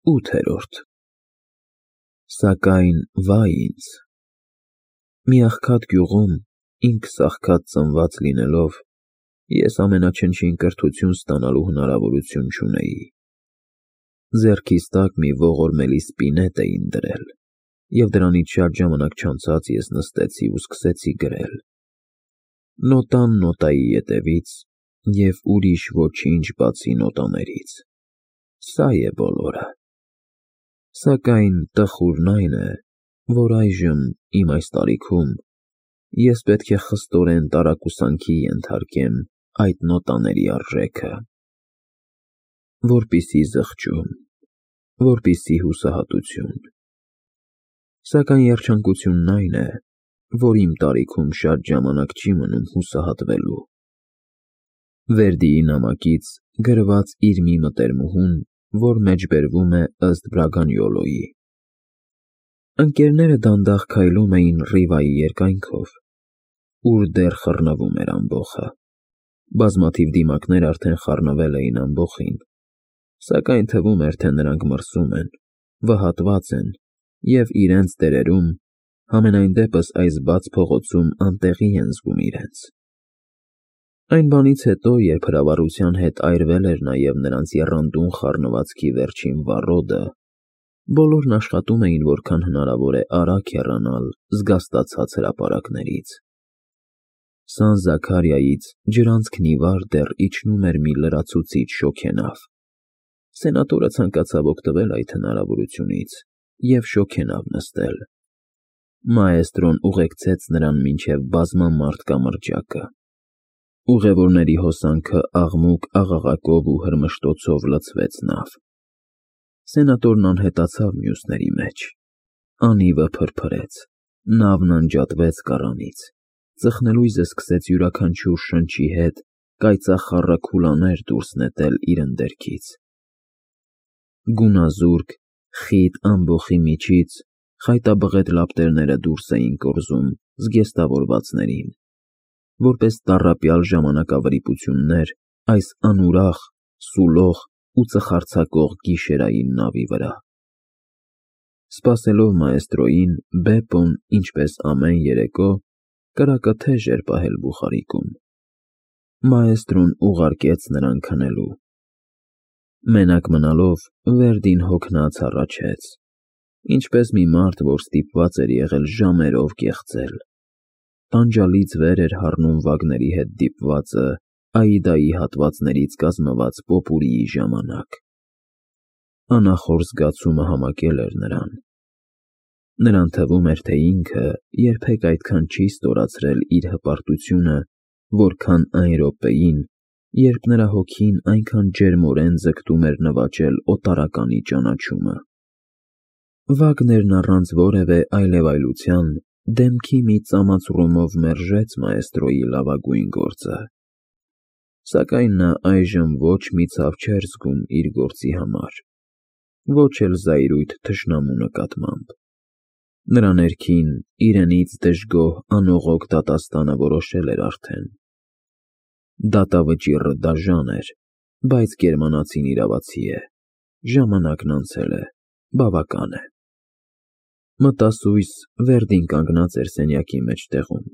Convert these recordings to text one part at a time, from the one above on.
8-րդ Սակայն վայ ինձ, մի աղքատ գյուղում ինքս աղքատ ծնված լինելով, ես ամենաչնչին կրթություն ստանալու հնարավորություն չունեի։ Ձեռքիս տակ մի ողորմելի սպինետ էին դրել, և դրանից շատ ժամանակ չանցած ես նստեցի ու սկսեցի գրել. նոտան նոտայի ետևից և ուրիշ ոչինչ բացի նոտաներից, սա է բոլորը։ Սակայն տխուրն այն է, որ այժմ իմ այս տարիքում ես պետք է խստորեն տարակուսանքի ենթարկեմ այդ նոտաների արժեքը, որպեսզի զղջում, որպեսզի հուսահատություն։ Սակայն երջանկությունն այն է, որ իմ տարիքում շատ ժամանակ չի մնում հուսահատվելու։ Վերդիի նամակից գրված իր մի մտերմուհուն, որ մեջբերվում է ըստ Բրագանյոլոյի։ Ընկերները դանդաղ քայլում էին Ռիվայի երկայնքով, ուր դեռ խռնվում էր ամբոխը։ Բազմաթիվ դիմակներ արդեն խառնվել էին ամբոխին, սակայն թվում էր, թե նրանք մրսում են, վհատված են և իրենց տերերում, համենայն դեպս այս բաց փողոցում անտեղի են զգում իրենց։ Այն բանից հետո, երբ հրավառության հետ այրվել էր նաև նրանց եռանդուն խառնվածքի վերջին վառոդը, բոլորն աշխատում էին որքան հնարավոր է արագ հեռանալ զգաստացած հրապարակներից։ Սան Զաքարիայից ջրանցքն ի վար դեռ իջնում էր մի լրացուցիչ շոգենավ։ Սենատորը ցանկացավ օգտվել այդ հնարավորությունից և շոգենավ նստել։ Մաեստրոն ուղեկցեց նրան մինչև բազմամարդ կամրջակը։ Ուղևորների հոսանքը աղմուկ-աղաղակով ու հրմշտոցով լցվեց նավ։ Սենատորն անհետացավ մյուսների մեջ։ Անիվը փրփրեց, նավն անջատվեց կառանից, ծխնելույզը սկսեց յուրաքանչյուր շնչի հետ կայծախառը քուլաներ դուրս նետել իր ընդերքից։ Գունազուրկ, խիտ ամբոխի միջից խայտաբղետ լապտերները դուրս էին կորզում զգեստավորվածներին, որպես տառապյալ ժամանակավրիպություններ այս անուրախ, սուլող ու ծխարձակող գիշերային նավի վրա։ Սպասելով մաեստրոյին, Բեպոն, ինչպես ամեն երեկո, կրակը թեժ էր պահել բուխարիկում։ Մաեստրոն ուղարկեց նրան քնելու։ Մենակ մնալով, Վերդին հոգնած հառաչեց, ինչպես մի մարդ, որ ստիպված էր եղել ժամերով կեղծել։ Տանջալից վեր էր հառնում Վագների հետ դիպվածը Աիդայի հատվածներից կազմված պոպուրիի ժամանակ։ Անախոր զգացումը համակել էր նրան։ Նրան թվում էր, թե ինքը երբեք այդքան չի ստորացրել իր հպարտությունը, որքան այն րոպեին, երբ նրա հոգին այնքան ջերմորեն ձգտում էր նվաճել օտարականի ճանաչումը։ Վագներն առանց որևէ այլևայլության դեմքի մի ծամածռումով մերժեց մաեստրոյի լավագույն գործը։ Սակայն նա այժմ ոչ մի ցավ չէր զգում իր գործի համար, ոչ էլ զայրույթ թշնամու նկատմամբ։ Նրա ներքին, իրենից դժգոհ անողոք դատաստանը որոշել էր արդեն։ Դատավճիռը դաժան էր, բայց գերմանացին իրավացի է, ժամանակն անցել է, բավական է։ Մտասույս Վերդին կանգնած էր սենյակի մեջտեղում։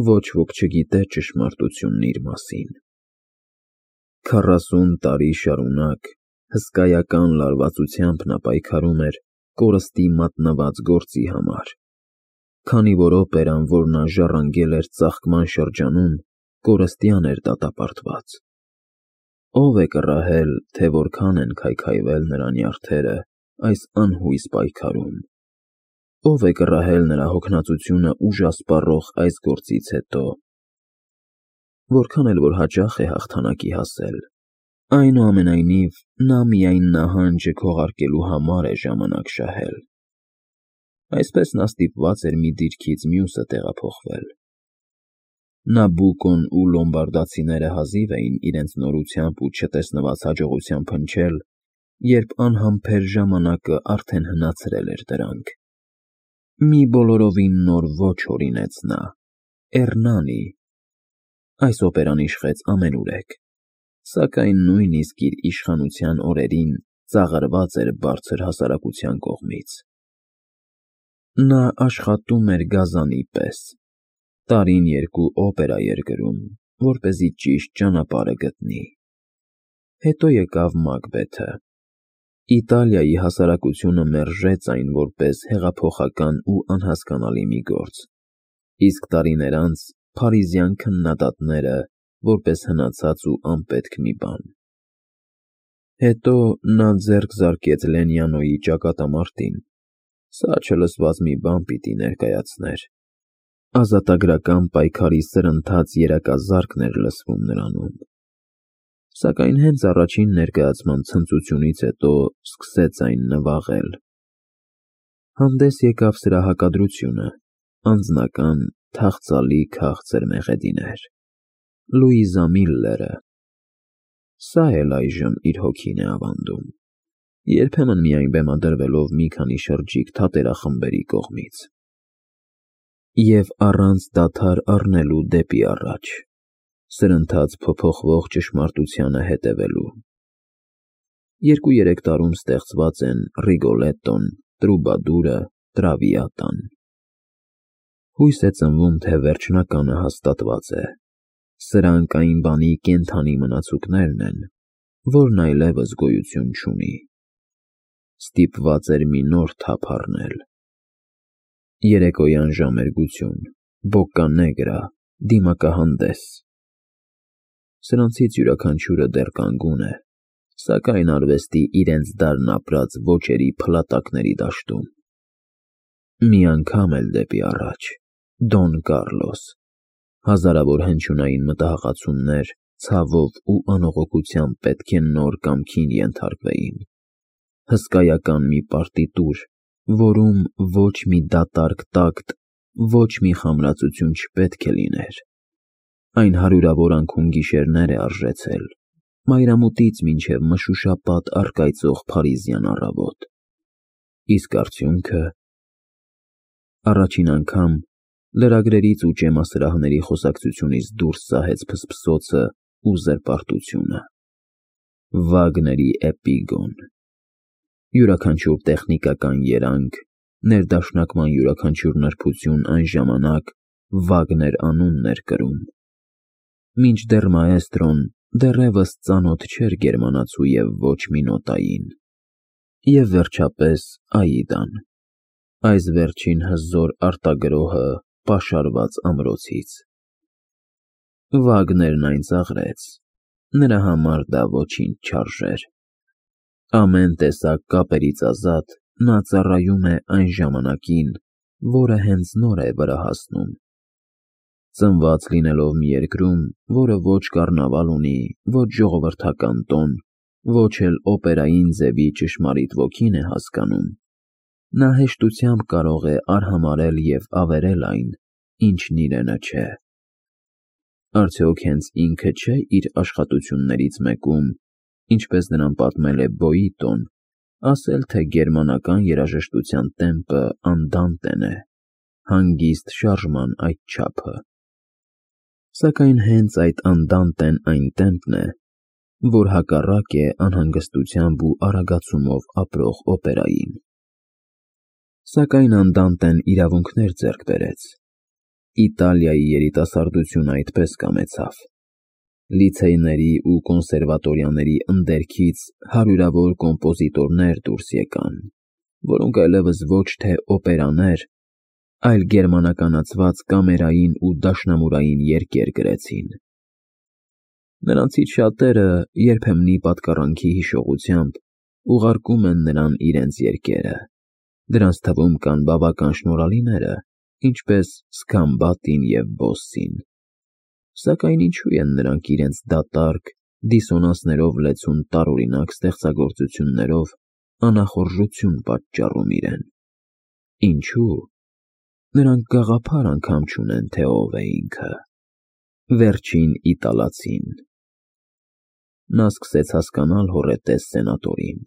Ոչ ոք չգիտեր ճշմարտությունն իր մասին։ 40 տարի շարունակ հսկայական լարվածությամբ նա պայքարում էր կորստի մատնված գործի համար։ Քանի որ օպերան, որ նա ժառանգել էր ծաղկման շրջանում, կորստյան էր դատապարտված։ Ո՞վ է կռահել, թե որքան են քայքայվել նրա նյարդերը այս անհույս պայքարում։ Ո՞վ է կռահել նրա հոգնածությունը ուժասպառող այս գործից հետո։ Որքան էլ որ հաճախ է հաղթանակի հասել, այնուամենայնիվ նա միայն նահանջը քողարկելու համար է ժամանակ շահել։ Այսպես նա ստիպված էր մի դիրքից մյուսը տեղափոխվել։ Նաբուկոն ու լոմբարդացիները հազիվ էին իրենց նորությամբ ու չտեսնված հաջողությամբ հնչել, երբ անհամբեր ժամանակը արդեն հնացրել էր դրանք։ Մի բոլորովին նոր ոճ հորինեց նա՝ Էռնանի։ Այս օպերան իշխեց ամենուրեք, սակայն նույնիսկ իր իշխանության օրերին ծաղրված էր բարձր հասարակության կողմից։ Նա աշխատում էր գազանի պես, տարին երկու օպերա էր գրում, որպեսզի ճիշտ ճանապարհը գտնի։ Հետո եկավ Մակբեթը։ Իտալիայի հասարակությունը մերժեց այն որպես հեղափոխական ու անհասկանալի մի գործ, իսկ տարիներ անց փարիզյան քննադատները որպես հնացած ու անպետք մի բան։ Հետո նա ձեռք զարկեց Լենյանոյի ճակատամարտին, սա չլսված մի բան պիտի ներկայացներ։ Ազատագրական պայքարի սրընթաց երակազարկն էր լսվում նրանում։ Սակայն հենց առաջին ներկայացման ցնծությունից հետո սկսեց այն նվաղել։ Հանդես եկավ սրա հակադրությունը, անձնական, թախծալի քաղցր մեղեդիներ։ Լուիզա Միլլերը։ Սա էլ այժմ իր հոգին է ավանդում, երբեմն միայն բեմադրվելով մի քանի շրջիկ թատերախմբերի կողմից։ Եվ առանց դադար առնելու դեպի առաջ, սրընթաց փոփոխվող ճշմարտությանը հետևելու։ 2-3 տարում ստեղծված են Ռիգոլետտոն, Տրուբադուրը, Տրավիատան։ Հույս է ծնվում, թե վերջնականը հաստատված է։ Սրանք այն բանի կենդանի մնացուկներն են, որն այլևս գոյություն չունի։ Ստիպված էր մի նոր թափ առնել։ Երեկոյան ժամերգություն, բոկանեգրա, դիմակահանդես։ Սրանցից յուրաքանչյուրը դեռ կանգուն է, սակայն արվեստի իրենց դարն ապրած ոճերի փլատակների դաշտում։ Մի անգամ էլ դեպի առաջ, Դոն Կառլոս, հազարավոր հնչյունային մտահղացումներ ցավով ու անողոքությամբ պետք է նոր կամքին ենթարկվեին։ Հսկայական մի պարտիտուր, որում ոչ մի դատարկ տակտ, ոչ մի խամրացություն չպետք է լիներ։ Այն հարյուրավոր անքուն գիշերներ է արժեցել, մայրամուտից մինչև մշուշապատ առկայծող փարիզյան առավոտ։ Իսկ արդյունքը… Առաջին անգամ լրագրերից ու ճեմասրահների խոսակցությունից դուրս սահեց փսփսոցը ու զրպարտությունը։ Վագների Էպիգոն։ Յուրաքանչյուր տեխնիկական երանգ, ներդաշնակման յուրաքանչյուր նրբություն այն ժամանակ Վագներ անունն էր կրում։ Մինչդեռ մաեստրոն դեռևս ծանոթ չէր գերմանացու և ոչ մի նոտային։ Եվ վերջապես Աիդան, այս վերջին հզոր արտագրոհը պաշարված ամրոցից։ Վագներն այն ծաղրեց, նրա համար դա ոչինչ չարժեր։ Ամեն տեսակ կապերից ազատ, նա ծառայում է այն ժամանակին, որը հենց նոր է վրա հասնում։ Ծնված լինելով մի երկրում, որը ոչ կառնավալ ունի, ոչ ժողովրդական տոն, ոչ էլ օպերային ձևի ճշմարիտ ոգին է հասկանում, նա հեշտությամբ կարող է արհամարհել և ավերել այն, ինչն իրենը չէ։ Արդյոք հենց ինքը չէ իր աշխատություններից մեկում, ինչպես նրան պատմել է Բոյիտոն, ասել, թե գերմանական երաժշտության տեմպը անդանտեն է, հանգիստ շարժման այդչափը։ Սակայն հենց այդ անդանտեն այն տեմպն է, որ հակառակ է անհանգստությամբ ու արագացումով ապրող օպերային։ Սակայն անդանտեն իրավունքներ ձեռք բերեց։ Իտալիայի երիտասարդությունը այդպես կամեցավ։ Լիցեյների ու կոնսերվատորիաների ընդերքից հարյուրավոր կոմպոզիտորներ դուրս եկան, որոնք այլևս ոչ թե օպերաներ, այլ գերմանականացված կամերային ու դաշնամուրային երգեր գրեցին։ Նրանցից շատերը երբեմնի պատկառանքի հիշողությամբ ուղարկում են նրան իրենց երգերը։ Դրանց թվում կան բավական շնորհալիները, ինչպես Սքամբատին և Բոսսին։ Սակայն ինչու են նրանք իրենց դատարկ, դիսոնանսներով լեցուն տարօրինակ ստեղծագործություններով անախորժություն պատճառում իրեն։ Ինչու՞։ Նրանք գաղափար անգամ չունեն, թե ով է ինքը։ Վերջին իտալացին։ Նա սկսեց հասկանալ հոռետես սենատորին։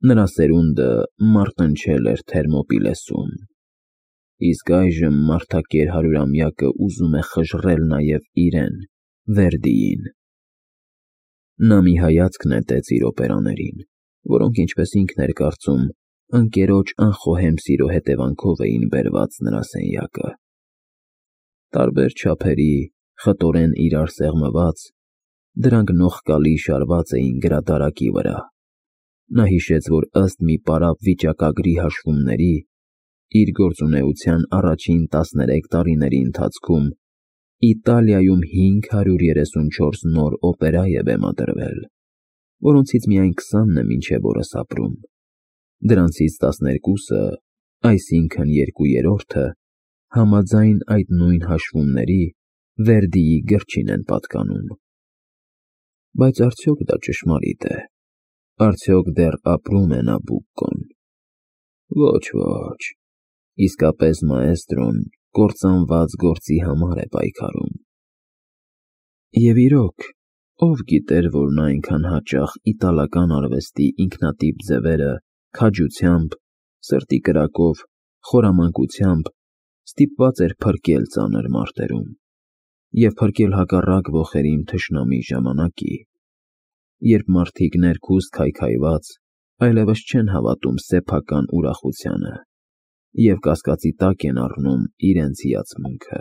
Նրա սերունդը մարտնչել էր Թերմոպիլեսում, իսկ այժմ մարդակեր հարյուրամյակը ուզում է խժռել նաև իրեն, Վերդիին։ Նա մի հայացք նետեց իր օպերաներին, որոնք, ինչպես ինքն էր կարծում, ընկերոջ անխոհեմ սիրո հետևանքով էին բերված նրա սենյակը։ Տարբեր չափերի, խտորեն իրար սեղմված, դրանք նողկալի շարված էին գրադարակի վրա։ Նա հիշեց, որ ըստ մի պարապ վիճակագրի հաշվումների, իր գործունեության առաջին 13 տարիների ընթացքում Իտալիայում 534 նոր օպերա է բեմադրվել, որոնցից միայն 20-ն է մինչև օրս ապրում։ Դրանցից 12-ը, այսինքն 2/3-ը, համաձայն այդ նույն հաշվումների, Վերդիի գրչին են պատկանում։ Բայց արդյոք դա ճշմարիտ է։ Արդյոք դեռ ապրում է Նաբուկկոն։ Ոչ, իսկապես մաեստրոն կործանված գործի համար է պայքարում։ Եվ իրոք, ով գիտեր, որ նա այնքան հաճախ իտալական արվեստի ինքնատիպ ձևերը քաջությամբ, սրտի կրակով, խորամանկությամբ ստիպված էր փրկել ծանր մարտերում և փրկել հակառակ ոխերիմ թշնամի ժամանակի, երբ մարդիկ ներքուստ քայքայված այլևս չեն հավատում սեփական ուրախությանը և կասկածի տակ են առնում իրենց հիացմունքը։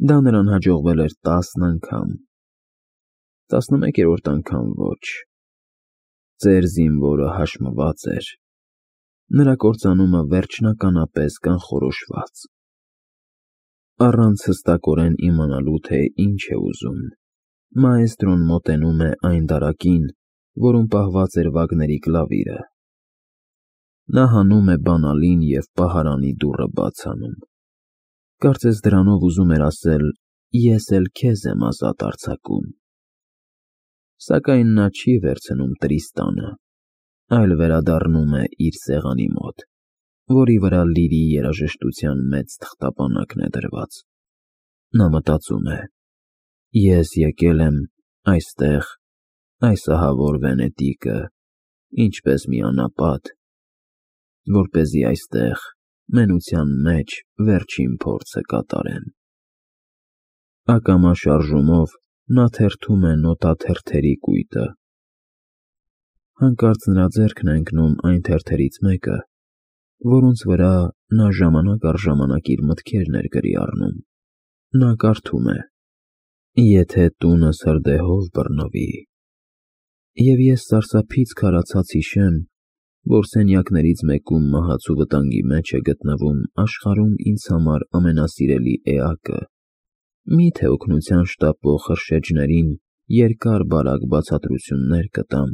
Դա նրան հաջողվել էր 10 անգամ, 11-րդ անգամ ոչ։ Ծեր զինվորը հաշմված էր, նրա կործանումը վերջնականապես կանխորոշված։ Առանց հստակորեն իմանալու, թե ինչ է ուզում, մաեստրոն մոտենում է այն դարակին, որում պահված էր Վագների կլավիրը։ Նա հանում է բանալին և պահարանի դուռը բաց անում։ Կարծես դրանով ուզում էր ասել. «Ես էլ քեզ եմ ազատ արձակում»։ Սակայն նա չի վերցնում Տրիստանը, այլ վերադառնում է իր սեղանի մոտ, որի վրա լիրի երաժշտության մեծ թղթապանակն է դրված։ Նա մտածում է. «Ես եկել եմ այստեղ, այս ահավոր Վենետիկը, ինչպես մի անապատ, որպեսզի այստեղ, մենության մեջ, վերջին փորձը կատարեմ»։ Ակամա շարժումով նա թերթում է նոտաթերթերի կույտը։ Հանկարծ նրա ձեռքն է ընկնում այն թերթերից մեկը, որոնց վրա նա ժամանակ առ ժամանակ իր մտքերն էր գրի առնում։ Նա կարդում է. «Եթե տունս հրդեհով բռնվի, և ես սարսափից քարացած հիշեմ, որ սենյակներից մեկում մահացու վտանգի մեջ է գտնվում աշխարհում ինձ համար ամենասիրելի էակը, մի՞թե օգնության շտապող խրշեջներին երկար-բարակ բացատրություններ կտամ,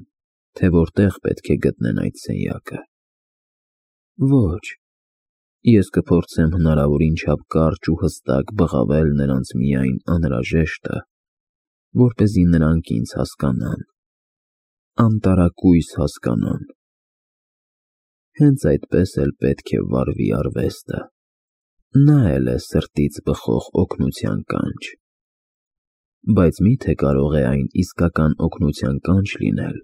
թե որտեղ պետք է գտնեն այդ սենյակը։ Ոչ, ես կփորձեմ հնարավորին չափ կարճ ու հստակ բղավել նրանց միայն անհրաժեշտը, որպեսզի նրանք ինձ հասկանան, անտարակույս հասկանան։ Հենց այդպես էլ պետք է վարվի արվեստը։ Նա էլ է սրտից բխող օգնության կանչ։ Բայց մի՞թե կարող է այն իսկական օգնության կանչ լինել,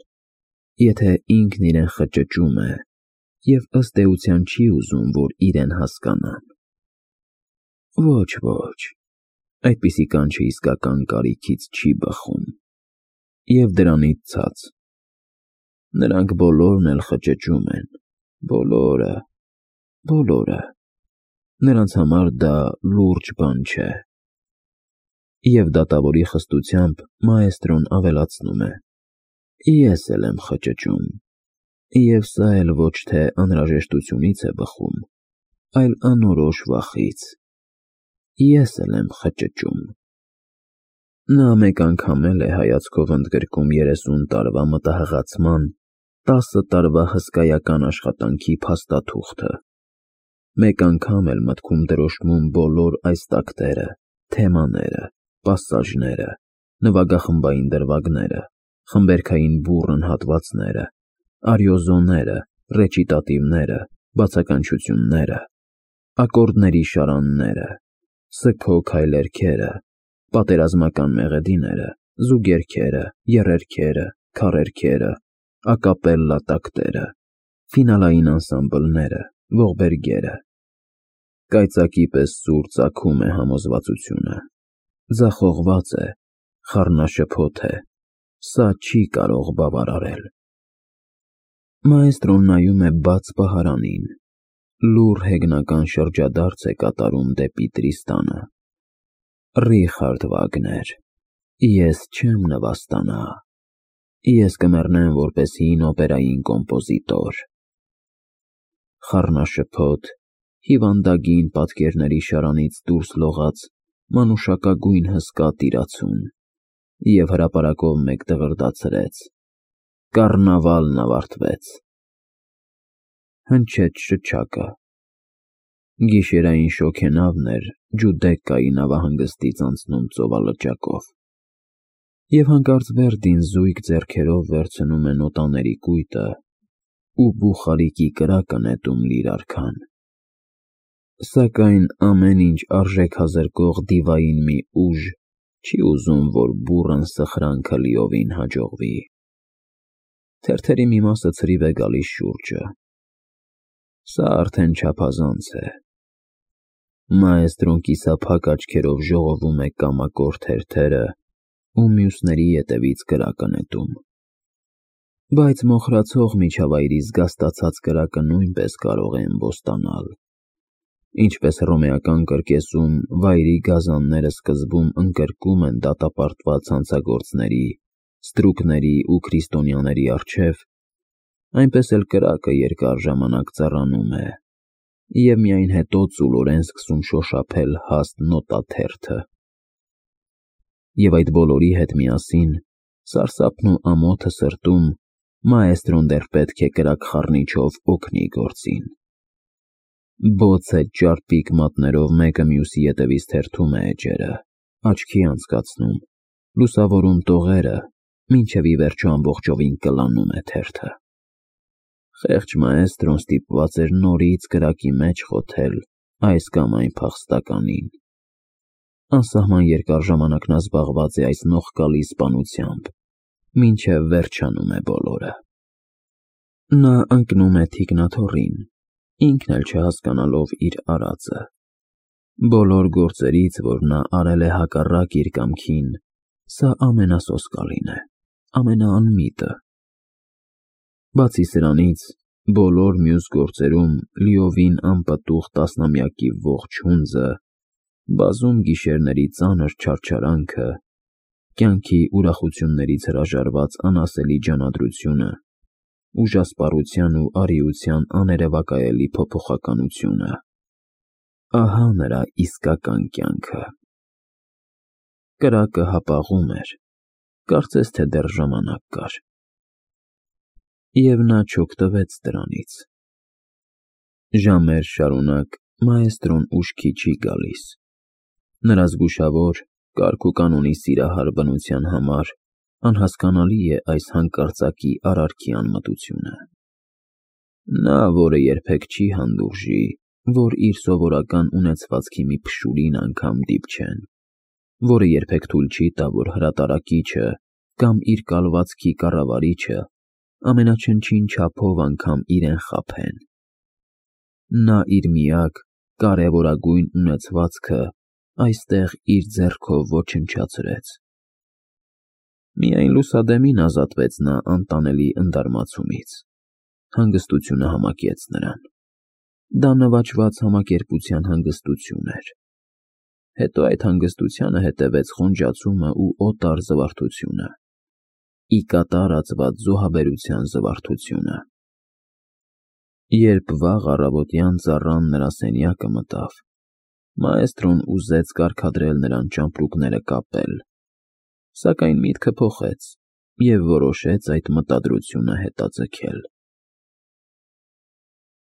եթե ինքն իրեն խճճում է և ըստ էության չի ուզում, որ իրեն հասկանան։ Ոչ, այդպիսի կանչը իսկական կարիքից չի բխում։ Եվ դրանից ցած, նրանք բոլորն էլ խճճում են, բոլորը։ Նրանց համար դա լուրջ բան չէ։ Եվ դատավորի խստությամբ մաեստրոն ավելացնում է. Ես էլ եմ խճճում, և սա էլ ոչ թե անհրաժեշտությունից է բխում, այլ անորոշ վախից։ Ես էլ եմ խճճում։ Նա մեկ անգամ էլ է հայացքով ընդգրկում 30 տարվա մտահղացման, 10 տարվա հսկայական աշխատանքի փաստաթուղթը։ Մեկ անգամ էլ մտքում դրոշմում բոլոր այս տակտերը, թեմաները, պասաժները, նվագախմբային դրվագները, խմբերքային բուռն հատվածները, արիոզոները, ռեչիտատիվները, բացականչությունները, ակորդների շարանները, սգո քայլերգերը, պատերազմական մեղեդիները, զուգերգերը, եռերգերը, քառերգերը, ակապելլա տակտերը, ֆինալային անսամբլները, ողբերգերը։ Կայծակի պես սուր ծագում է համոզվածությունը, ձախողված է, խառնաշփոթ է, սա չի կարող բավարարել։ Մաեստրոն նայում է բաց պահարանին, լուռ հեգնական շրջադարձ է կատարում դեպի Տրիստանը։ Ռիխարդ Վագներ, ես չեմ նվաստանա, ես կմեռնեմ որպես հին օպերային կոմպոզիտոր։ Խառնաշփոթ, հիվանդագին պատկերների շարանից դուրս լողաց մանուշակագույն հսկա տիրացուն և հրապարակով մեկ դղրդացրեց. կառնավալն ավարտվեց։ Հնչեց շչակը։ Գիշերային շոգենավն էր Ջուդեկկայի նավահանգստից անցնում ծովալճակով, և հանկարծ Վերդին զույգ ձեռքերով վերցնում է նոտաների կույտը ու բուխարիկի կրակը նետում լիրարքան։ Սակայն ամեն ինչ արժեքազրկող դիվային մի ուժ չի ուզում, որ բուռն սխրանքը լիովին հաջողվի։ Թերթերի մի մասը ցրիվ է գալիս շուրջը։ Սա արդեն չափազանց է։ Մաեստրոն կիսափակ աչքերով ժողովում է կամակոր թերթերը ու մյուսների ետևից կրակը նետում։ Բայց մոխրացող միջավայրի զգաստացած կրակը նույնպես կարող է ըմբոստանալ։ Ինչպես հռոմեական կրկեսում վայրի գազանները սկզբում ընկրկում են դատապարտված հանցագործների, ստրուկների ու քրիստոնյաների առջև, այնպես էլ կրակը երկար ժամանակ ծառանում է, և միայն հետո ծուլորեն սկսում շոշափել հաստ նոտաթերթը։ Եվ այդ բոլորի հետ միասին, սարսափն ու ամոթը սրտում, մաեստրոն դեռ պետք է կրակ խառնիչով օգնի գործին։ Բոցետ ճարպիկ մատներով մեկը մյուսի ետևից թերթում է էջերը, աչքի անցկացնում, լուսավորում տողերը, մինչև ի վերջո ամբողջովին կլանում է թերթը։ Խեղճ մաեստրոն ստիպված էր նորից կրակի մեջ խոթել այս կամ այն փախստականին։ Անսահման երկար ժամանակ նա զբաղված է այս նողկալի սպանությամբ, մինչև վերջանում է բոլորը։ Նա ընկնում է թիկնաթոռին, ինքն էլ չհասկանալով իր արածը։ Բոլոր գործերից, որ նա արել է հակառակ իր կամքին, սա ամենասոսկալին է, ամենաանմիտը։ Բացի սրանից, բոլոր մյուս գործերում լիովին անպտուղ տասնամյակի ողջ հունձը, բազում գիշերների ծանր չարչարանքը, կյանքի ուրախություններից հրաժարված անասելի ջանադրությունը, ուժասպառության ու արիության աներևակայելի փոփոխականությունը, ահա նրա իսկական կյանքը։ Կրակը հապաղում էր, կարծես թե դեռ ժամանակ կար։ Եվ նա չօգտվեց դրանից։ Ժամեր շարունակ մաեստրոն ուշքի չի գալիս։ Նրա զգուշավոր, կարգ ու կանոնի սիրահար բնության համար անհասկանալի է այս հանկարծակի արարքի անմտությունը։ Նա, որը երբեք չի հանդուրժի, որ իր սովորական ունեցվածքի մի փշուրին անգամ դիպչեն, որը երբեք թույլ չի տա, որ հրատարակիչը կամ իր կալվածքի կառավարիչը ամենաչնչին չափով անգամ իրեն խաբեն։ Նա իր միակ, կարևորագույն ունեցվածքը այստեղ իր ձեռքով ոչնչացրեց։ Միայն լուսադեմին ազատվեց նա անտանելի ընդարմացումից։ Հանգստությունը համակեց նրան։ Դա նվաճված համակերպության հանգստություն էր։ Հետո այդ հանգստությանը հետևեց խոնջացումը ու օտար զվարթությունը, ի կատար ածված զոհաբերության զվարթությունը։ Երբ վաղ առավոտյան ծառան նրա սենյակը մտավ, մաեստրոն ուզեց կարգադրել նրան ճամպրուկները կապել, սակայն միտքը փոխեց և որոշեց այդ մտադրությունը հետաձգել։